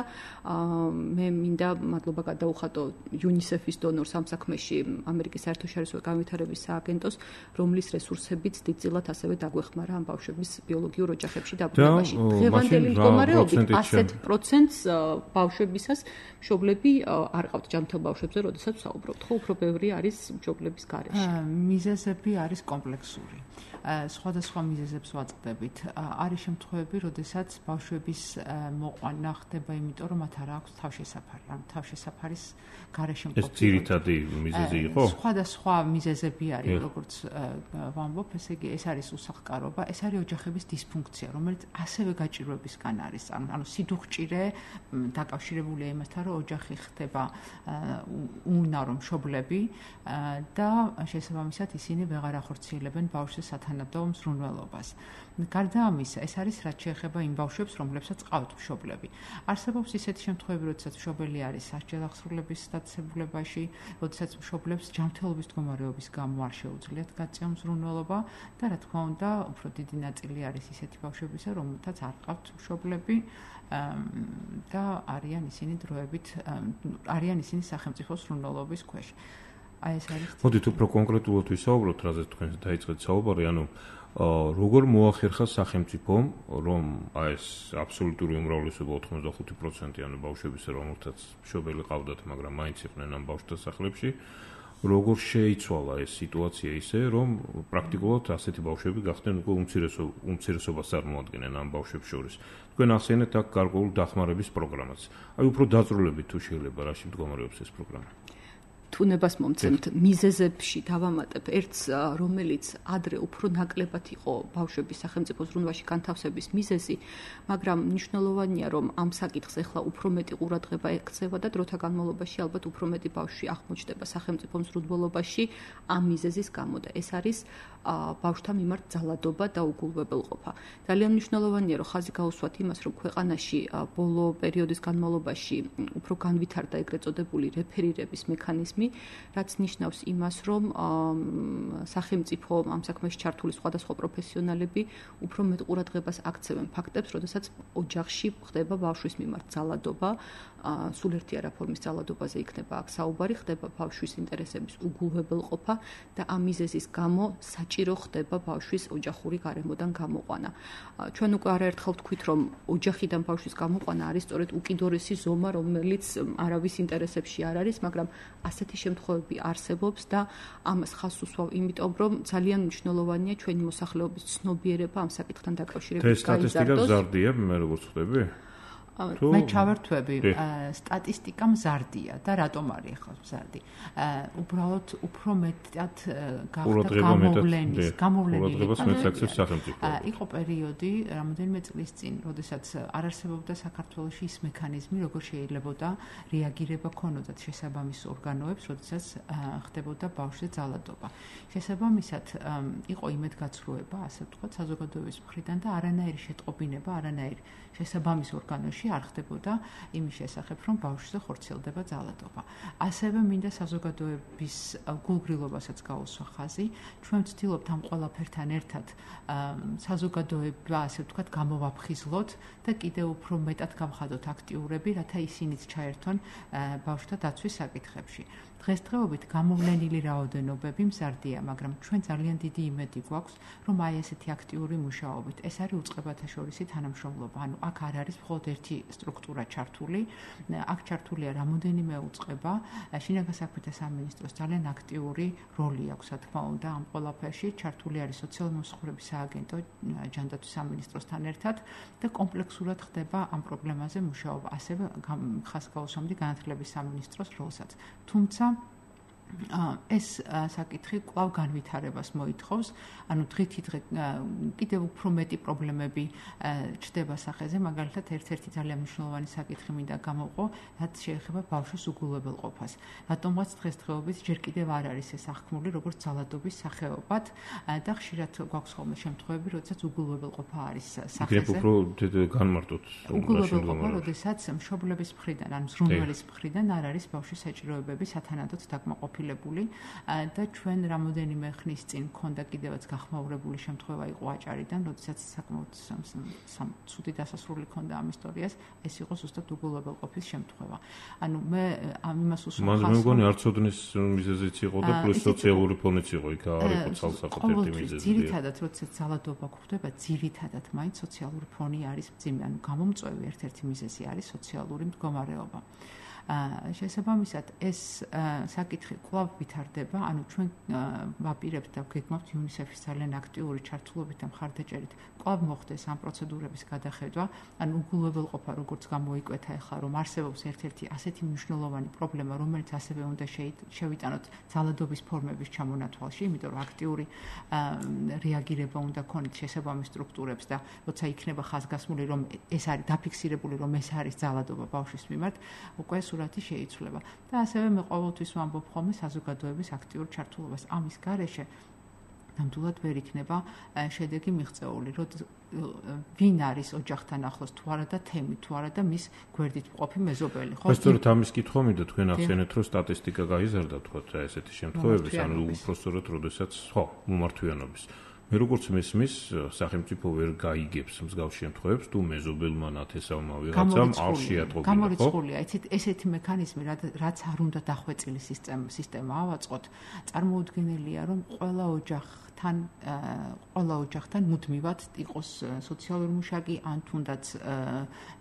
მე მინდა მადლობა გადაუხადო იუნისეფის დონორს ამ საქმეში, ამერიკის საერთაშორისო განვითარების სააგენტოს, რომლის რესურსებიც დიდწილად ასევე დაგვეხმარა ამ ბავშვების ბიოლოგიურ ოჯახებში დაბრუნებაში. დღევანდელი მდგომარეობით ასეთ პროცენტს ბავშვებისას მშობლები არ ყავთ ჯანმრთელ ბავშვებზე, როდესაც ვსაუბრობთ, ხო, უფრო ბევრი არის მშობლების გარეშე. მიზეზები არის კომპლექსური. სხვადასხვა მიზეზებს ვაწყდებით. არის შემთხვევები, როდესაც ბავშვების მოყვანა ხდება, იმიტომ რომ მათ არ აქვს თავშესაფარი, ან თავშესაფარის გარეშე მყოფი. ეს ძირითადი მიზეზი იყო? სხვადასხვა მიზეზები არის, როგორც ვამბობ, ესე იგი, ეს არის უსახლკარობა, ეს არის ოჯახების დისფუნქცია, რომელიც ასევე გაჭირვებისგან არის. ანუ სიდუხჭირე დაკავშირებულია იმასთან, რომ ოჯახი ხდება უუნარო მშობლები და შესაბამისად ისინი ვეღარ ახორციელებენ ბავშვის სათანადო მზრუნველობას. გარდა ამისა, ეს არის რაც შეეხება იმ ბავშვებს, რომლებსაც ყავთ მშობლები. არსებობს ისეთი შემთხვევები, როდესაც მშობელი არის სასჯელახსრულების დაწესებულებაში, როდესაც მშობლებს ჯანმრთელობის მდგომარეობის გამო არ შეუძლიათ გაწევა მზრუნველობა და რა თქმა უნდა, უფრო დიდი ნაწილი არის ისეთი ბავშვებისა, რომელთაც არ ყავთ მშობლები და არიან ისინი დროებით, არიან ისინი სახელმწიფოს მზრუნველობის ქვეშ. აი ეს არის. მოდით უფრო კონკრეტულად ვისაუბროთ, რაზეც თქვენ დაიწყეთ საუბარი, ანუ როგორ მოახერხა სახელმწიფომ, რომ აი ეს აბსოლუტური უმრავლესობა ოთხმოცდახუთი პროცენტი ანუ ბავშვების, რომელთაც მშობელი ყავდათ, მაგრამ მაინც იყვნენ ამ ბავშვთა სახლებში, როგორ შეიცვალა ეს სიტუაცია ისე, რომ პრაქტიკულად ასეთი ბავშვები გახდნენ უკვე უმცირესობას წარმოადგენენ ამ ბავშვებს შორის. თქვენ ახსენეთ აქ გარკვეულ დახმარების პროგრამას. აი უფრო დაწვრილებით თუ შეიძლება რაში მდგომარეობს ეს პროგრამა? თუნებას მომცემთ მიზეზებში დავამატებ ერთს, რომელიც ადრე უფრო ნაკლებად იყო ბავშვების სახელმწიფო ზრუნვაში განთავსების მიზეზი, მაგრამ მნიშვნელოვანია, რომ ამ საკითხს ახლა უფრო მეტი ყურადღება ექცევა და დროთა განმავლობაში ალბათ უფრო მეტი ბავშვი აღმოჩნდება სახელმწიფო მზრუნველობაში ამ მიზეზის გამო და ეს არის ბავშვთა მიმართ ძალადობა და უგულვებელყოფა. ძალიან მნიშვნელოვანია, რომ ხაზი გაუსვათ იმას, რომ ქვეყანაში ბოლო პერიოდის განმავლობაში უფრო განვითარდა ეგრეთ წოდებული რეფერირების მექანიზმი, რაც ნიშნავს იმას, რომ სახელმწიფო ამ საქმეში ჩართული სხვადასხვა პროფესიონალები უფრო მეტ ყურადღებას აქცევენ ფაქტებს, როდესაც ოჯახში ხდება ბავშვის მიმართ ძალადობა, სულერთი არაფორმის ძალადობაზე იქნება აქ საუბარი, ხდება ბავშვის ინტერესების უგულვებელყოფა და ამ მიზეზის გამო საჭირო ხდება ბავშვის ოჯახური გარემოდან გამოყვანა. ჩვენ უკვე არაერთხელ ვთქვით, რომ ოჯახიდან ბავშვის გამოყვანა არის სწორედ უკიდურესი ზომა, რომელიც არავის ინტერესებში არ არის, მაგრამ ასეთი შემთხვევები არსებობს და ამას ხაზს უსვავ, იმიტომ რომ ძალიან მნიშვნელოვანია ჩვენი მოსახლეობის ცნობიერება ამ საკითხთან დაკავშირებით გაიზარდოს. ეს სტატისტიკა მზარდია, მე როგორც ხვდები? მე ჩავერთვები, სტატისტიკა მზარდია და რატომ არის ახლა მზარდი? უბრალოდ უფრო მეტად გახდა გამოვლენის, გამოვლენილი იყო პერიოდი, რამოდენიმე წლის წინ, როდესაც არ არსებობდა საქართველოში ის მექანიზმი, როგორ შეიძლებოდა რეაგირება ქონოდათ შესაბამის ორგანოებს, როდესაც ხდებოდა ბავშვზე ძალადობა. შესაბამისად იყო იმედგაცრუება, ასე ვთქვათ, საზოგადოების მხრიდან და არანაირი შეტყობინება, არანაირი შესაბამის ორგანოში არ ხდებოდა იმის შესახებ, რომ ბავშვზე ხორციელდება ძალადობა. ასევე მინდა საზოგადოების გულგრილობასაც გაუსვა ხაზი. ჩვენ ვცდილობთ ამ ყველაფერთან ერთად საზოგადოება, ასე ვთქვათ, გამოვაფხიზლოთ და კიდევ უფრო მეტად გავხადოთ აქტიურები, რათა ისინიც ჩაერთონ ბავშვთა დაცვის საკითხებში. დღესდღეობით გამოვლენილი რაოდენობები მზარდია, მაგრამ ჩვენ ძალიან დიდი იმედი გვაქვს, რომ აი ესეთი აქტიური მუშაობით ეს არის უწყებათა შორისი თანამშრომლობა. ანუ აქ არ არის მხოლოდ ერთი სტრუქტურა ჩართული, აქ ჩართულია რამოდენიმე უწყება, შინაგან საქმეთა სამინისტროს ძალიან აქტიური როლი აქვს, რა თქმა უნდა, ამ ყველაფერში. ჩართული არის სოციალური მომსახურების სააგენტო ჯანდაცვის სამინისტროსთან ერთად და კომპლექსურად ხდება ამ პრობლემაზე მუშაობა. ასევე ხაზს გაუსვამდი განათლების სამინისტროს როლსაც. თუმცა ეს საკითხი კვლავ განვითარებას მოითხოვს, ანუ დღითი დღე კიდევ უფრო მეტი პრობლემები ჩდება სახეზე, მაგალითად ერთ-ერთი ძალიან მნიშვნელოვანი საკითხი მინდა გამოვყო, რაც შეეხება ბავშვის უგულვებელყოფას. რატომღაც დღესდღეობით ჯერ კიდევ არ არის ეს აღქმული როგორც ძალადობის სახეობად და ხშირად გვაქვს ხოლმე შემთხვევები, როდესაც უგულვებელყოფა არის სახეზე. იქნებ უფრო განმარტოთ. უგულვებელყოფა, როდესაც მშობლების მხრიდან, ან ზრუნველის მხრიდან არ არის ბავშვის საჭიროებები სათანადოდ დაკმაყოფილებული და ჩვენ რამოდენიმე ხნის წინ ქონდა კიდევაც გახმაურებული შემთხვევა იყო აჭარიდან, როდესაც საკმაოდ ცუდი დასასრული ქონდა ამ ისტორიას, ეს იყო ზუსტად უგულვებელყოფის შემთხვევა. ანუ მე ამ იმას უსვამს. მაგრამ მე მგონი არცოდნის მიზეზიც იყო და პლუს სოციალური ფონიც იყო, იქ არ იყო ცალსახად ერთი მიზეზი. ძირითადად, როდესაც ძალადობა გვხვდება, ძირითადად მაინც სოციალური ფონი არის მძიმე, ანუ გამომწვევი ერთ-ერთი მიზეზი არის სოციალური მდგომარეობა. შესაბამისად ეს საკითხი კვლავ ვითარდება, ანუ ჩვენ ვაპირებთ და გეგმავთ იუნისეფის ძალიან აქტიური ჩართულობით და მხარდაჭერით კვლავ მოხდეს ამ პროცედურების გადახედვა, ანუ უგულვებელყოფა როგორც გამოიკვეთა ახლა, რომ არსებობს ერთ-ერთი ასეთი მნიშვნელოვანი პრობლემა, რომელიც ასევე უნდა შევიტანოთ ძალადობის ფორმების ჩამონათვალში, იმიტომ რომ აქტიური რეაგირება უნდა ქონდეს შესაბამის სტრუქტურებს და როცა იქნება ხაზგასმული, რომ ეს არის დაფიქსირებული, რომ ეს არის ძალადობა ბავშვის მიმართ, უკვე სურათი შეიცვლება. და ასევე მე ყოველთვის ვამბობ ხოლმე საზოგადოების აქტიურ ჩართულობას. ამის გარეშე ნამდვილად ვერ იქნება შედეგი მიღწეული, რომ ვინ არის ოჯახთან ახლოს თუ არა და თემი თუ არა და მის გვერდით მყოფი მეზობელი, ხო? სწორედ ამის კითხვა მინდა თქვენ ახსენეთ, რომ სტატისტიკა გაიზარდა, თქვათ, ესეთი შემთხვევების, ანუ უბრალოდ როდესაც, ხო, მომართვიანობის. მე როგორც მესმის, სახელმწიფო ვერ გაიგებს მსგავს შემთხვევებს, თუ მეზობელმა ნათესავმა ვიღაცამ არ შეატყობინა, ხო? გამორიცხულია, იცით, ესეთი მექანიზმი, რაც არ უნდა დახვეწილი სისტემა ავაწყოთ, წარმოუდგენელია, რომ ყველა ოჯახთან, ყველა ოჯახთან მუდმივად იყოს სოციალური მუშაკი, ან თუნდაც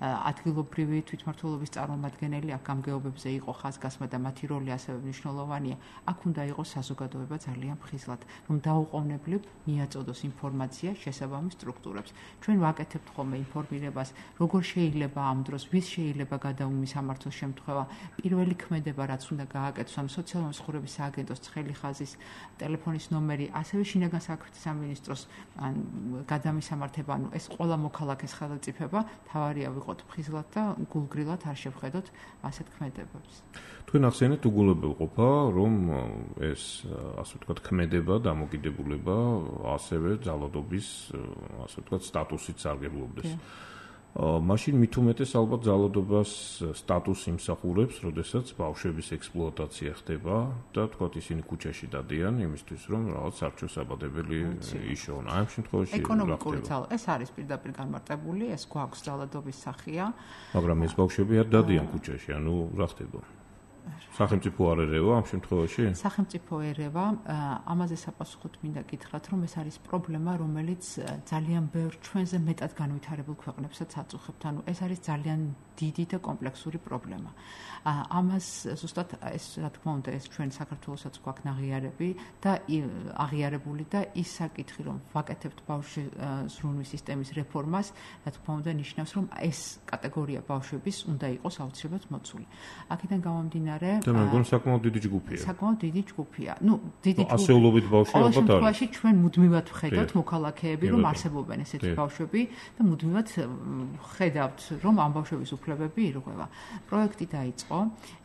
ადგილობრივი თვითმმართველობის წარმომადგენელი, აქ გამგეობებზე იყო ხაზგასმა და მათი როლი ასევე მნიშვნელოვანია. აქ უნდა იყოს საზოგადოება ძალიან ფხიზლად, რომ დაუყოვნებლივ მიაწოდოს ინფორმაცია შესაბამის სტრუქტურებს. ჩვენ ვაკეთებთ ხოლმე ინფორმირებას, როგორ შეიძლება ამ დროს, ვის შეიძლება გადაუმისამართოს შემთხვევა, პირველი ქმედება, რაც უნდა გააკეთოს, ანუ სოციალური მსახურების სააგენტოს ცხელი ხაზის ტელეფონის ნომერი, ასევე შინაგან საქმეთა სამინისტროს გადამისამართება, ანუ ეს ყველა მოქალაქეს ხელმწიფება, თავარია ვიყოთ ფხიზლად და გულგრილად არ შევხედოთ ასეთ ქმედებებს. თქვენ ახსენეთ უგულებელყოფა, რომ ეს ასე ვთქვათ ქმედება, დამოკიდებულება ასევე ძალადობის, ასე ვთქვათ, სტატუსით სარგებლობდეს. მაშინ მით უმეტეს ალბათ ძალადობას სტატუსი იმსახურებს, როდესაც ბავშვების ექსპლუატაცია ხდება და თქვათ ისინი ქუჩაში დადიან იმისთვის, რომ რაღაც სარჩო-საბადებელი იშოვონ. აი ამ შემთხვევაში ეკონომიკური ძალა, ეს არის პირდაპირ განმარტებული, ეს გვაქვს ძალადობის სახეა. მაგრამ ეს ბავშვები არ დადიან ქუჩაში, ანუ რა ხდება? სახელმწიფო არ ერევა ამ შემთხვევაში? სახელმწიფო ერევა, ამაზე საპასუხოდ მინდა გითხრათ, რომ ეს არის პრობლემა, რომელიც ძალიან ბევრ ჩვენზე მეტად განვითარებულ ქვეყნებსაც აწუხებთ. ანუ ეს არის ძალიან დიდი და კომპლექსური პრობლემა. ამას ზუსტად ეს რა თქმა უნდა ეს ჩვენ საქართველოსაც გვაქვს აღიარები და აღიარებული და ის საკითხი, რომ ვაკეთებთ ბავშვი ზრუნვის სისტემის რეფორმას, რა თქმა უნდა ნიშნავს, რომ ეს კატეგორია ბავშვების უნდა იყოს აუცილებლად მოცული. აქედან გამომდინარე და მე მგონი საკმაოდ დიდი ჯგუფია. საკმაოდ დიდი ჯგუფია. ნუ დიდი ჯგუფი. ასეულობით ბავშვი ალბათ არის. ყოველ შემთხვევაში ჩვენ მუდმივად ვხედავთ მოქალაქეები, რომ არსებობენ ესეთი ბავშვები და მუდმივად ხედავთ, რომ ამ ბავშვების უფლებები ირღვევა. პროექტი დაიწყო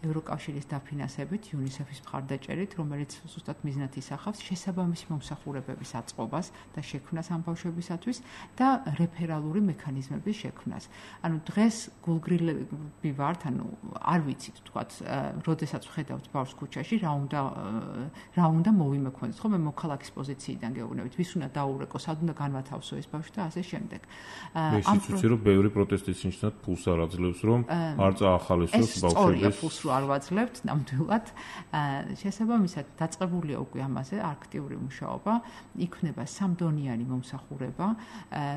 ევროკავშირის დაფინანსებით, იუნისეფის მხარდაჭერით, რომელიც ზუსტად მიზნად ისახავს შესაბამისი მომსახურებების აწყობას და შექმნას ამ ბავშვებისათვის და რეფერალური მექანიზმების შექმნას. ანუ დღეს გულგრილები ვართ, ანუ არ ვიცით თქვათ, როდესაც ვხედავთ ბავშვს ქუჩაში, რა უნდა რა უნდა მოვიმექონოთ, ხო მე მოქალაქის პოზიციიდან გეუბნებით, ვის უნდა დაურეკო, სად უნდა განვათავსო ეს ბავშვი და ასე შემდეგ. მე ისიც ვიცი, რომ ბევრი პროტესტის ნიშნად ფულს არ აძლევს, რომ არ წაახალისოს ბავშვების ფულს რო არ ვაძლევთ, ნამდვილად შესაბამისად დაწყებულია უკვე ამაზე აქტიური მუშაობა, იქნება სამდონიანი მომსახურება,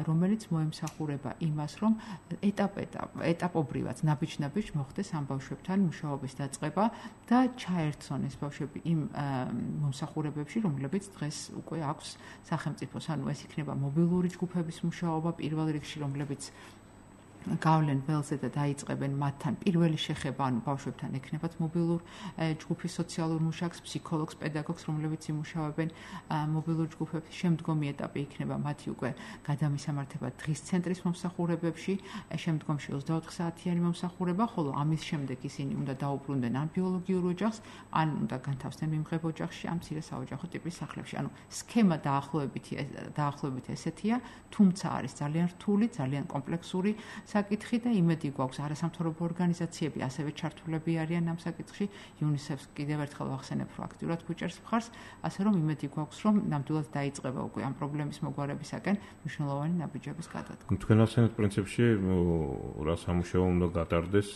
რომელიც მოემსახურება იმას, რომ ეტაპ-ეტაპ, ეტაპობრივად ნაბიჯ-ნაბიჯ მოხდეს ამ ბავშვებთან მუშაობის დაწყება და ჩაერთონ ეს ბავშვები იმ მომსახურებებში, რომლებიც დღეს უკვე აქვს სახელმწიფოს, ანუ ეს იქნება მობილური ჯგუფების მუშაობა პირველ რიგში, რომლებიც გავლენ ველზე და დაიწყებენ მათთან პირველი შეხება, ანუ ბავშვებთან ექნებათ მობილურ ჯგუფის სოციალურ მუშაკს, ფსიქოლოგს, პედაგოგს, რომლებიც იმუშავებენ მობილურ ჯგუფებში. შემდგომი ეტაპი იქნება მათი უკვე გადამისამართება დღის ცენტრის მომსახურებებში, შემდგომში ოცდაოთხ საათიანი მომსახურება, ხოლო ამის შემდეგ ისინი უნდა დაუბრუნდნენ ან ბიოლოგიურ ოჯახს, ან უნდა განთავსდნენ მიმღებ ოჯახში, ან მცირე საოჯახო ტიპის სახლებში. ანუ სქემა დაახლოებით დაახლოებით ესეთია, თუმცა არის ძალიან რთული, ძალიან კომპლექსური საკითხი და იმედი გვაქვს არასამთავრობო ორგანიზაციები ასევე ჩართულები არიან ამ საკითხში. იუნისეფს კიდევ ერთხელ ვახსენებ, რომ აქტიურად გვიჭერს მხარს, ასე რომ იმედი გვაქვს, რომ ნამდვილად დაიწყება უკვე ამ პრობლემის მოგვარებისაკენ მნიშვნელოვანი ნაბიჯების გადადგმა. თქვენ ახსენეთ პრინციპში რა სამუშაო უნდა გატარდეს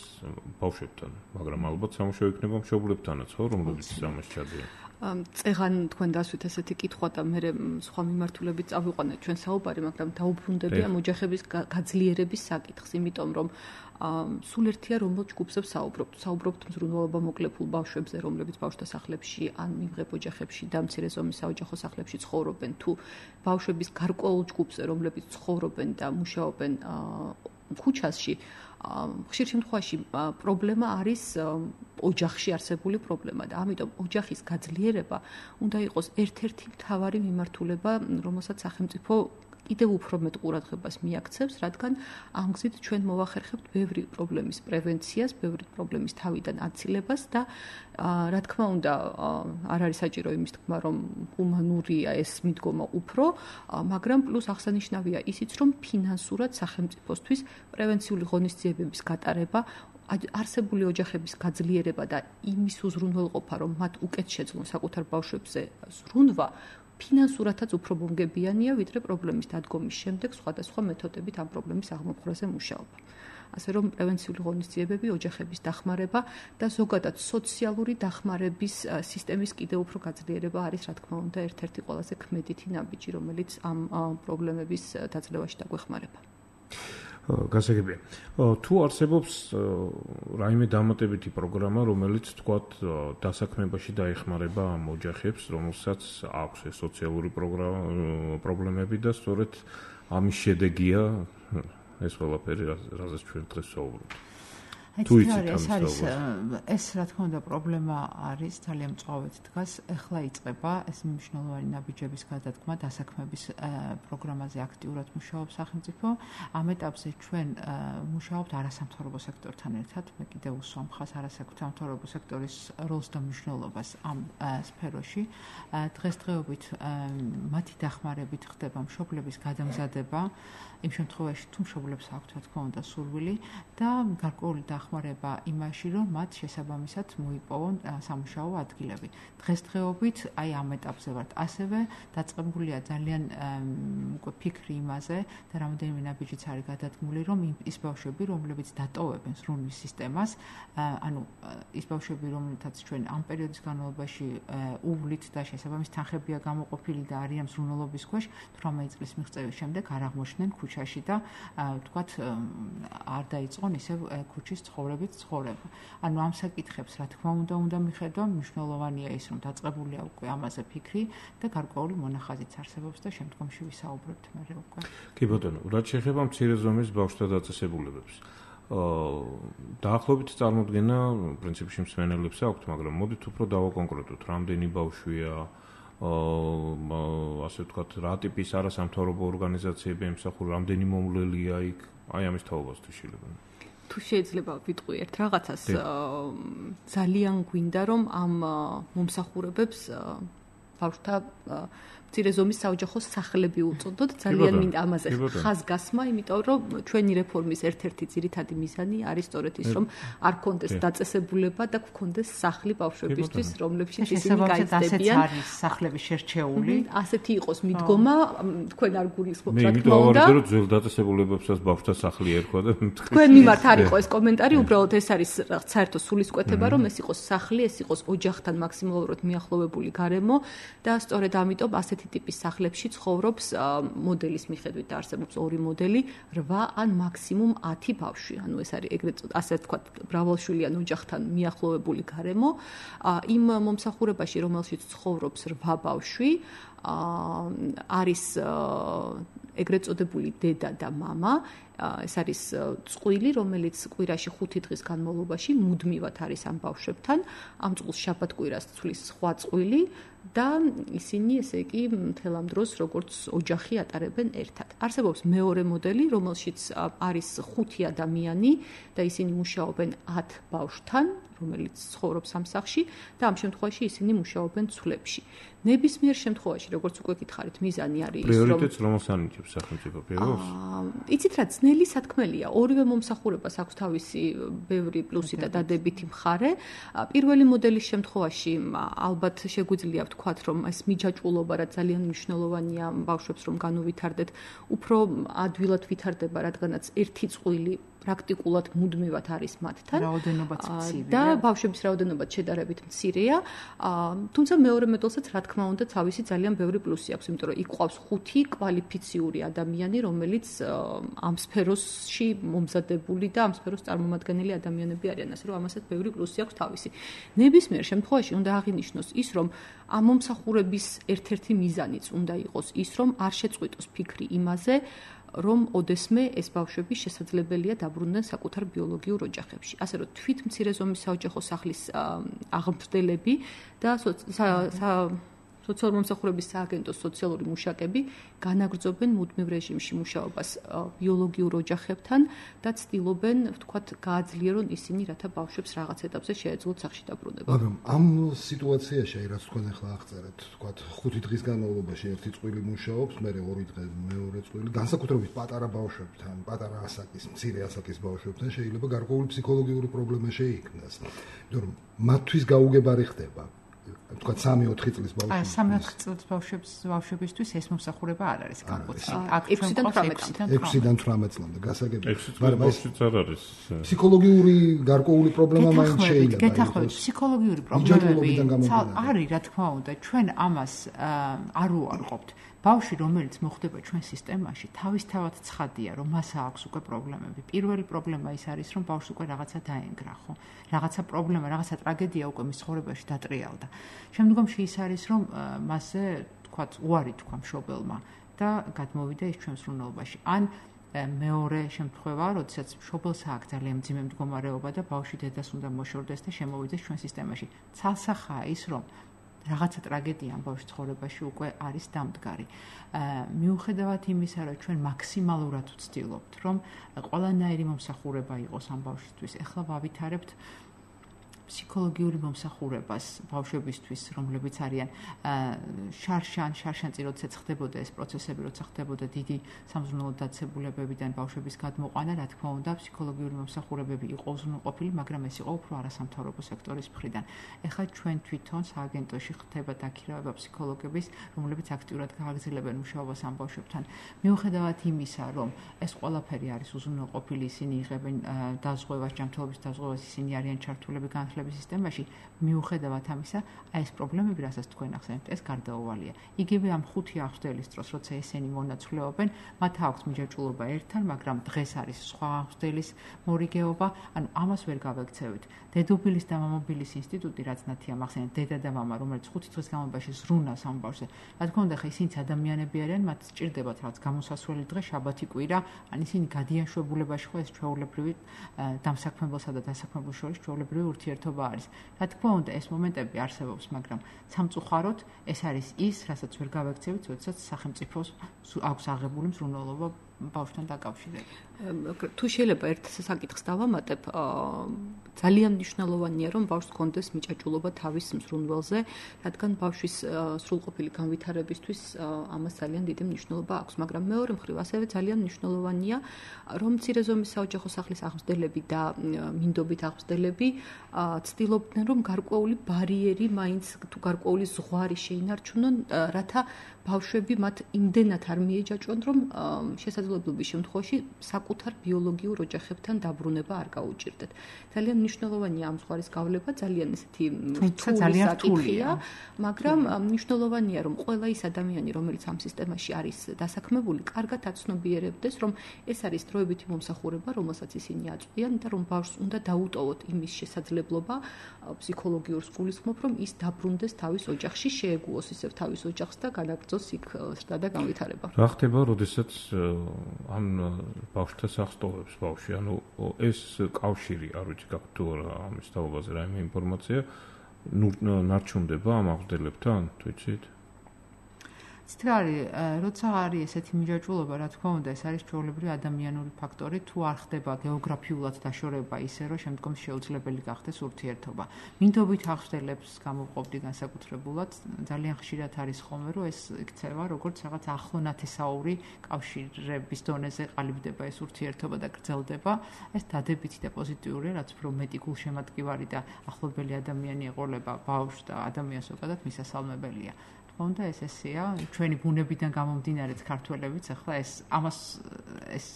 ბავშვებთან, მაგრამ ალბათ სამუშაო იქნება მშობლებთანაც, ხო, რომლებიც ამას ჩადიან. წეღან თქვენ დასვით ესეთი კითხვა და მე სხვა მიმართულებით წავიყვანეთ ჩვენ საუბარი, მაგრამ დაუბრუნდები ამ ოჯახების გაძლიერების საკითხს, იმიტომ რომ სულ ერთია რომელ ჯგუფზე საუბრობთ. საუბრობთ მზრუნველობა მოკლებულ ბავშვებზე, რომლებიც ბავშვთა სახლებში ან მიმღებ ოჯახებში და მცირე ზომის საოჯახო სახლებში ცხოვრობენ, თუ ბავშვების გარკვეულ ჯგუფზე, რომლებიც ცხოვრობენ და მუშაობენ ქუჩაში. ხშირ შემთხვევაში პრობლემა არის ოჯახში არსებული პრობლემა და ამიტომ ოჯახის გაძლიერება უნდა იყოს ერთ-ერთი მთავარი მიმართულება, რომელსაც სახელმწიფო კიდევ უფრო მეტ ყურადღებას მიაქცევს, რადგან ამ გზით ჩვენ მოვახერხებთ ბევრი პრობლემის პრევენციას, ბევრი პრობლემის თავიდან აცილებას და რა თქმა უნდა არ არის საჭირო იმის თქმა, რომ ჰუმანურია ეს მიდგომა უფრო, მაგრამ პლუს აღსანიშნავია ისიც, რომ ფინანსურად სახელმწიფოსთვის პრევენციული ღონისძიებების გატარება, არსებული ოჯახების გაძლიერება და იმის უზრუნველყოფა, რომ მათ უკეთ შეძლონ საკუთარ ბავშვებზე ზრუნვა, ფინანსურათაც უფრო მომგებიანია, ვიდრე პრობლემის დადგომის შემდეგ სხვადასხვა მეთოდებით ამ პრობლემის აღმოფხვრაზე მუშაობა. ასე რომ პრევენციული ღონისძიებები, ოჯახების დახმარება და ზოგადად სოციალური დახმარების სისტემის კიდევ უფრო გაძლიერება არის, რა თქმა უნდა, ერთ-ერთი ყველაზე ქმედითი ნაბიჯი, რომელიც ამ პრობლემების დაძლევაში დაგვეხმარება. გასაგებია. თუ არსებობს რაიმე დამატებითი პროგრამა, რომელიც თქვათ დასაქმებაში დაეხმარება ამ ოჯახებს, რომელსაც აქვს ეს სოციალური პრობლემები და სწორედ ამის შედეგია ეს ყველაფერი, რაზეც ჩვენ დღეს ვსაუბრობთ. თუ იცით ეს არის ეს რა თქმა უნდა პრობლემა არის ძალიან მწვავედ დგას. ეხლა იწყება ეს მნიშვნელოვანი ნაბიჯების გადადგმა დასაქმების პროგრამაზე აქტიურად მუშაობს სახელმწიფო. ამ ეტაპზე ჩვენ მუშაობთ არასამთავრობო სექტორთან ერთად. მე კიდევ უსვამ ხას არასამთავრობო სექტორის როლს და მნიშვნელობას ამ სფეროში. დღესდღეობით მათი დახმარებით ხდება მშობლების გადამზადება იმ შემთხვევაში თუ მშობლებს აქვთ რა თქმა უნდა სურვილი და გარკვეული დახმარება იმაში, რომ მათ შესაბამისად მოიპოვონ სამუშაო ადგილები. დღესდღეობით აი ამ ეტაპზე ვართ. ასევე დაწყებულია ძალიან უკვე ფიქრი იმაზე და რამოდენიმე ნაბიჯიც არის გადადგმული, რომ ის ბავშვები, რომლებიც დატოვებენ სრული სისტემას, ანუ ის ბავშვები, რომლითაც ჩვენ ამ პერიოდის განმავლობაში უვლით და შესაბამის თანხებია გამოყოფილი და არიან სრულობის ქვეშ, თვრამეტი წლის მიღწევის შემდეგ არ აღმოჩნდნენ ქუჩაში და ვთქვათ არ დაიწყონ ისევ ქუჩის ცხოვრებით ცხოვრება. ანუ ამ საკითხებს რა თქმა უნდა უნდა მიხედვა, მნიშვნელოვანია ის, რომ დაწყებულია უკვე ამაზე ფიქრი და გარკვეული მონახაზიც არსებობს და შემდგომში ვისაუბრებთ მერე უკვე. კი ბატონო, რაც შეეხება მცირე ზომის ბავშვთა დაწესებულებებს. დაახლოებით წარმოდგენა პრინციპში მსმენელებს აქვთ, მაგრამ მოდით უფრო დავაკონკრეტოთ, რამდენი ბავშვია, ასე ვთქვათ, რა ტიპის არასამთავრობო ორგანიზაციები ემსახურება, რამდენი მომვლელია იქ, აი ამის თაობას თუ შეიძლება. თუ შეიძლება ვიტყვი ერთ რაღაცას, ძალიან გვინდა რომ ამ მომსახურებებს ბავშვთა მცირე ზომის საოჯახო სახლები უწოდოთ. ძალიან მინდა ამაზე ხაზგასმა, იმიტომ რომ ჩვენი რეფორმის ერთ-ერთი ძირითადი მიზანი არის სწორედ ის, რომ არ გქონდეს დაწესებულება და გქონდეს სახლი ბავშვებისთვის, რომლებშიც ისინი გაიზრდებიან. არის სახლები შერჩეული. ასეთი იყოს მიდგომა, თქვენ არ გულისხმობთ, რა თქმა უნდა. მე იმიტომ ძველ დაწესებულებებსაც ბავშვთა სახლი ერქვა და თქვენ მიმართ არ იყო ეს კომენტარი, უბრალოდ ეს არის საერთო სულისკვეთება, რომ ეს იყოს სახლი, ეს იყოს ოჯახთან მაქსიმალურად მიახლოვებული გარემო და სწორედ ამიტომ ასეთი ტიპის სახლებში ცხოვრობს მოდელის მიხედვით არსებობს ორი მოდელი, რვა ან მაქსიმუმ ათი ბავშვი. ანუ ეს არის ეგრეთ ასე ვთქვათ, მრავალშვილიან ოჯახთან მიახლოვებული გარემო. იმ მომსახურებაში, რომელშიც ცხოვრობს რვა ბავშვი, არის ეგრეთ წოდებული დედა და მამა. ეს არის წყვილი, რომელიც კვირაში ხუთი დღის განმავლობაში მუდმივად არის ამ ბავშვებთან. ამ წყვილს შაბათ-კვირას ცვლის სხვა წყვილი და ისინი ესე იგი მთელ ამ დროს როგორც ოჯახი ატარებენ ერთად. არსებობს მეორე მოდელი, რომელშიც არის ხუთი ადამიანი და ისინი მუშაობენ ათ ბავშვთან, რომელიც ცხოვრობს ამ სახლში და ამ შემთხვევაში ისინი მუშაობენ ცვლებში. ნებისმიერ შემთხვევაში, როგორც უკვე გითხარით, მიზანი არის ის, რომ პრიორიტეტს რომელს ანიჭებს სახელმწიფო პირველს? იცით რა, ძნელი სათქმელია. ორივე მომსახურებას აქვს თავისი ბევრი პლუსი და დადებითი მხარე. პირველი მოდელის შემთხვევაში ალბათ შეგვიძლია ვთქვათ, რომ ეს მიჯაჭვულობა რა ძალიან მნიშვნელოვანია ბავშვებს რომ განუვითარდეთ, უფრო ადვილად ვითარდება, რადგანაც ერთი წყვილი პრაქტიკულად მუდმივად არის მათთან. რაოდენობაც მცირეა. და ბავშვების რაოდენობაც შედარებით მცირეა. თუმცა მეორე მოდელსაც რა თქმა უნდა თავისი ძალიან ბევრი პლუსი აქვს, იმიტომ რომ იქ ყავს ხუთი კვალიფიციური ადამიანი, რომელიც ამ სფეროში მომზადებული და ამ სფეროს წარმომადგენელი ადამიანები არიან, ასე რომ ამასაც ბევრი პლუსი აქვს თავისი. ნებისმიერ შემთხვევაში უნდა აღინიშნოს ის, რომ ამ მომსახურების ერთ-ერთი მიზანიც უნდა იყოს ის, რომ არ შეწყვიტოს ფიქრი იმაზე, რომ ოდესმე ეს ბავშვები შესაძლებელია დაბრუნდნენ საკუთარ ბიოლოგიურ ოჯახებში. ასე რომ თვით მცირე ზომის საოჯახო სახლის აღმზრდელები და სოციალური მომსახურების სააგენტოს სოციალური მუშაკები განაგრძობენ მუდმივ რეჟიმში მუშაობას ბიოლოგიურ ოჯახებთან და ცდილობენ, ვთქვათ, გააძლიერონ ისინი, რათა ბავშვებს რაღაც ეტაპზე შეეძლოთ სახლში დაბრუნება. მაგრამ ამ სიტუაციაში, რაც თქვენ ახლა აღწერეთ, ვთქვათ, ხუთი დღის განმავლობაში ერთი წყვილი მუშაობს, მერე ორი დღე მეორე წყვილი, განსაკუთრებით პატარა ბავშვებთან, პატარა ასაკის, მცირე ასაკის ბავშვებთან შეიძლება გარკვეული ფსიქოლოგიური პრობლემა შეიქმნას. იმიტომ რომ მათთვის გაუგებარი ხდება თქვა სამი ოთხი წლის ბავშვი. აი სამი ოთხი წლის ბავშვებს ბავშვებისთვის ეს მომსახურება არ არის განკუთვნილი. აქ ექვსიდან თვრამეტამდე. ექვსიდან თვრამეტ წლამდე გასაგებია. მაგრამ ეს არ არის. ფსიქოლოგიური გარკვეული პრობლემა მაინც შეიძლება. გეთახმებით, ფსიქოლოგიური პრობლემები არის, რა თქმა უნდა, ჩვენ ამას არ უარყოფთ. ბავშვი, რომელიც მოხდება ჩვენ სისტემაში, თავისთავად ცხადია, რომ მას აქვს უკვე პრობლემები. პირველი პრობლემა ის არის, რომ ბავშვს უკვე რაღაცა დაენგრა, ხო? რაღაცა პრობლემა, რაღაცა ტრაგედია უკვე მის ცხოვრებაში დატრიალდა. შემდგომში ის არის, რომ მასზე, თქვათ, უარი თქვა მშობელმა და გადმოვიდა ის ჩვენ სრულნელობაში. ან მეორე შემთხვევა, როდესაც მშობელს აქვს ძალიან მძიმე მდგომარეობა და ბავშვი დედას უნდა მოშორდეს და შემოვიდეს ჩვენ სისტემაში. ცალსახაა ის, რომ რაღაცა ტრაგედია ამ ბავშვის ცხოვრებაში უკვე არის დამდგარი. მიუხედავად იმისა, რომ ჩვენ მაქსიმალურად ვცდილობთ, რომ ყველანაირი მომსახურება იყოს ამ ბავშვისთვის, ეხლა ვავითარებთ ფსიქოლოგიური მომსახურებას ბავშვებისთვის, რომლებიც არიან შარშან, შარშანწი, როდესაც ხდებოდა ეს პროცესები, როცა ხდებოდა დიდი სამზრუნველო დაწესებულებებიდან ბავშვების გადმოყვანა, რა თქმა უნდა, ფსიქოლოგიური მომსახურებები იყო უზრუნველყოფილი, მაგრამ ეს იყო უფრო არასამთავრობო სექტორის მხრიდან. ეხლა ჩვენ თვითონ სააგენტოში ხდება დაქირავება ფსიქოლოგების, რომლებიც აქტიურად გააგრძელებენ მუშაობას ამ ბავშვებთან. მიუხედავად იმისა, რომ ეს ყველაფერი არის უზრუნველყოფილი, ისინი იღებენ დაზღვევას, ჯანმრთელობის დაზღვევას, ისინი არიან ჩართულები განათლების სისტემაში, მიუხედავად ამისა, აი ეს პრობლემები, რასაც თქვენ ახსენებთ, ეს გარდაუვალია. იგივე ამ ხუთი აღზრდელის დროს, როცა ესენი მონაცვლეობენ, მათ აქვს მიჯაჭვულობა ერთთან, მაგრამ დღეს არის სხვა აღზრდელის მორიგეობა, ანუ ამას ვერ გავექცევით. დედოფლის და მამობილის ინსტიტუტი, რაც ნათია ახსენეთ, დედა და მამა, რომელიც ხუთი დღის განმავლობაში ზრუნავს ამ ბავშვზე. რა თქმა უნდა, ხა ისინიც ადამიანები არიან, მათ სჭირდებათ რაღაც გამოსასვლელი დღე, შაბათი კვირა, ან ისინი გადიან შვებულებაში, ხო ეს ჩვეულებრივი დამსაქმებელსა და დასაქმებელ შორის ჩვეულებრივი ურთიერთობა არის. რა თქმა უნდა, ეს მომენტები არსებობს, მაგრამ სამწუხაროდ ეს არის ის, რასაც ვერ გავექცევით, როდესაც სახელმწიფოს აქვს აღებული მსრულნელობა ბავშვთან დაკავშირებით. თუ შეიძლება ერთ საკითხს დავამატებ, ძალიან მნიშვნელოვანია, რომ ბავშვს ჰქონდეს მიჭაჭულობა თავის მსრუნველზე, რადგან ბავშვის სრულყოფილი განვითარებისთვის ამას ძალიან დიდი მნიშვნელობა აქვს, მაგრამ მეორე მხრივ ასევე ძალიან მნიშვნელოვანია, რომ მცირე ზომის საოჯახო სახლის აღმზრდელები და მინდობით აღმზრდელები ცდილობდნენ, რომ გარკვეული ბარიერი, მაინც თუ გარკვეული ზღვარი შეინარჩუნონ, რათა ბავშვები მათ იმდენად არ მიეჯაჭვონ, რომ შესაძლებლობის შემთხვევაში საკუთარ ბიოლოგიურ ოჯახებთან დაბრუნება არ გაუჭირდეთ. ძალიან მნიშვნელოვანია ამ ზღვარის გავლება, ძალიან ესეთი რთული საკითხია, მაგრამ მნიშვნელოვანია, რომ ყველა ის ადამიანი, რომელიც ამ სისტემაში არის დასაქმებული, კარგად აცნობიერებდეს, რომ ეს არის დროებითი მომსახურება, რომელსაც ისინი აწვდიან და რომ ბავშვს უნდა დაუტოვოთ იმის შესაძლებლობა ფსიქოლოგიურ სკულისხმობ, რომ ის დაბრუნდეს თავის ოჯახში, შეეგუოს ისევ თავის ოჯახს და განაგრძოს იქ ზრდა და განვითარება. რა ხდება, როდესაც ამ ბავშვთა სახს ტოვებს ბავშვი? ანუ ეს კავშირი, არ ვიცი, გაქვთ თუ არა ამის თაობაზე რაიმე ინფორმაცია, ნარჩუნდება ამ აღზრდებლებთან, თუ იცით? ცით რა არის, როცა არის ესეთი მიჯაჭვულობა, რა თქმა უნდა, ეს არის ჩვეულებრივი ადამიანური ფაქტორი, თუ არ ხდება გეოგრაფიულად დაშორება ისე, რომ შემდგომში შეუძლებელი გახდეს ურთიერთობა. მინდობით აღზრდელებს გამოვყოფდი განსაკუთრებულად, ძალიან ხშირად არის ხოლმე, რომ ეს იქცევა როგორც რაღაც ახლო ნათესაური კავშირების დონეზე ყალიბდება ეს ურთიერთობა და გრძელდება. ეს დადებითი და პოზიტიურია, რაც უფრო მეტი გულშემატკივარი და ახლობელი ადამიანი ეყოლება ბავშვს და ადამიანს ზოგადად მისასალმებელია. უნდა ეს ესეა, ჩვენი ბუნებიდან გამომდინარეც ქართველებიც ახლა ეს ამას ეს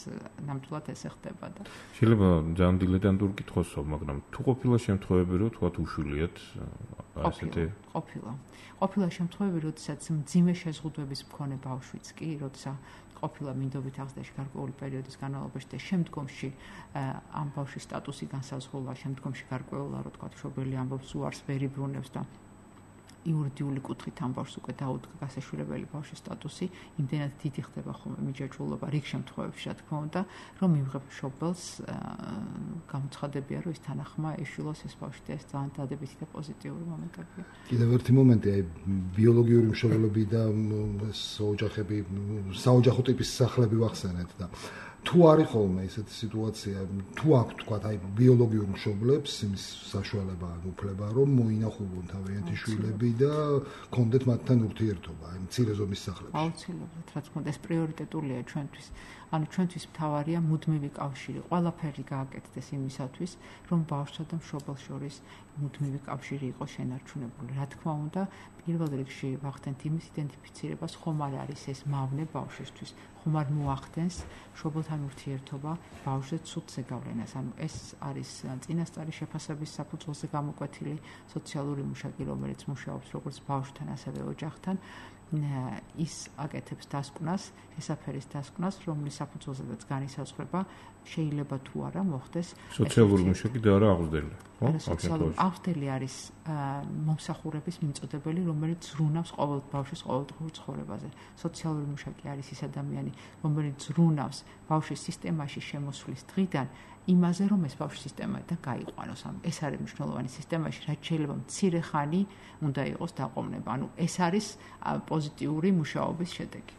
ნამდვილად ესე ხდება და შეიძლება ძალიან დილეტანტური კითხვასო, მაგრამ თუ ყოფილა შემთხვევები, რომ თქვათ უშულიათ ასეთი ყოფილა. ყოფილა შემთხვევები, როდესაც მძიმე შეზღუდვების მქონე ბავშვიც კი, როცა ყოფილა მინდობით აღზრდაში გარკვეული პერიოდის განმავლობაში და შემდგომში ამ ბავშვის სტატუსი განსაზღვრულა, შემდგომში გარკვეულა, რო თქვათ, მშობელი ამბობს უარს ვერ იბრუნებს და იურიდიული კუთხით ამ ბავშვს უკვე დაუდგა გასაშვილებელი ბავშვის სტატუსი, იმდენად დიდი ხდება ხოლმე მიჯაჭვულობა რიგ შემთხვევებში, რა თქმა უნდა, რომ მიიღებ მშობელს გამოცხადებია, რომ ის თანახმა ეშვილოს ეს ბავშვი და ეს ძალიან დადებითი და პოზიტიური მომენტებია. კიდევ ერთი მომენტი, აი ბიოლოგიური მშობლები და ოჯახები, საოჯახო ტიპის სახლები ვახსენეთ და თუ არის ხოლმე ესეთი სიტუაცია, თუ აქვს თქვა აი ბიოლოგიურ მშობლებს იმის საშუალება ან უფლება რომ მოინახულონ თავიანთი შვილები და კონდეთ მათთან ურთიერთობა, აი მცირე ზომის სახლებში. აუცილებლად, რა თქმა უნდა, ეს პრიორიტეტულია ჩვენთვის. ანუ ჩვენთვის მთავარია მუდმივი კავშირი. ყველაფერი გააკეთდეს იმისათვის, რომ ბავშვსა და მშობელს შორის მუდმივი კავშირი იყოს შენარჩუნებული. რა თქმა უნდა, პირველ რიგში ვახდენთ იმის იდენტიფიცირებას, ხომ არ არის ეს მავნე ბავშვისთვის. ხომ არ მოახდენს მშობელთან ურთიერთობა ბავშვზე ცუდ ზეგავლენას. ანუ ეს არის წინასწარი შეფასების საფუძველზე გამოკვეთილი სოციალური მუშაკი, რომელიც მუშაობს როგორც ბავშვთან, ასევე ოჯახთან. ის აკეთებს დასკვნას, ესაფერის დასკვნას, რომლის საფუძველზედაც განისაზღვრება შეიძლება თუ არა მოხდეს სოციალური მუშაკი და არა აღზრდელი, ხო? სოციალური აღზრდელი არის მომსახურების მიმწოდებელი, რომელიც ზრუნავს ყოველ ბავშვის ყოველდღიურ ცხოვრებაზე. სოციალური მუშაკი არის ის ადამიანი, რომელიც ზრუნავს ბავშვის სისტემაში შემოსვლის დღიდან იმაზე, რომ ეს ბავშვი სისტემიდან გაიყვანოს. ანუ ეს არის მნიშვნელოვანი სისტემაში, რაც შეიძლება მცირე ხანი უნდა იყოს დაყოვნება. ანუ ეს არის პოზიტიური მუშაობის შედეგი.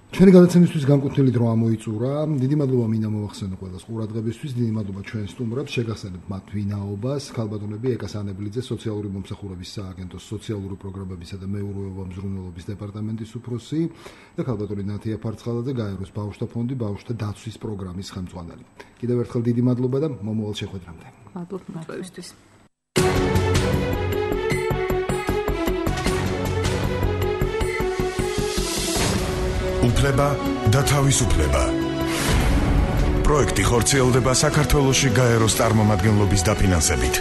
ჩვენი გადაცემისთვის განკუთვნილი დრო ამოიწურა. დიდი მადლობა მინდა მოვახსენო ყველას ყურადღებისთვის. დიდი მადლობა ჩვენ სტუმრებს, შეგახსენებთ მათ ვინაობას. ქალბატონები ეკა სანებლიძე, სოციალური მომსახურების სააგენტოს სოციალური პროგრამებისა და მეურვეობა მზრუნველობის დეპარტამენტის უფროსი და ქალბატონი ნათია ფარცხალაძე, გაეროს ბავშვთა ფონდი, ბავშვთა დაცვის პროგრამის ხელმძღვანელი. კიდევ ერთხელ დიდი მადლობა და მომავალ შეხვედრამდე. მადლობა მოწვევისთვის. უფლება და თავისუფლება. პროექტი ხორციელდება საქართველოში გაეროს წარმომადგენლობის დაფინანსებით.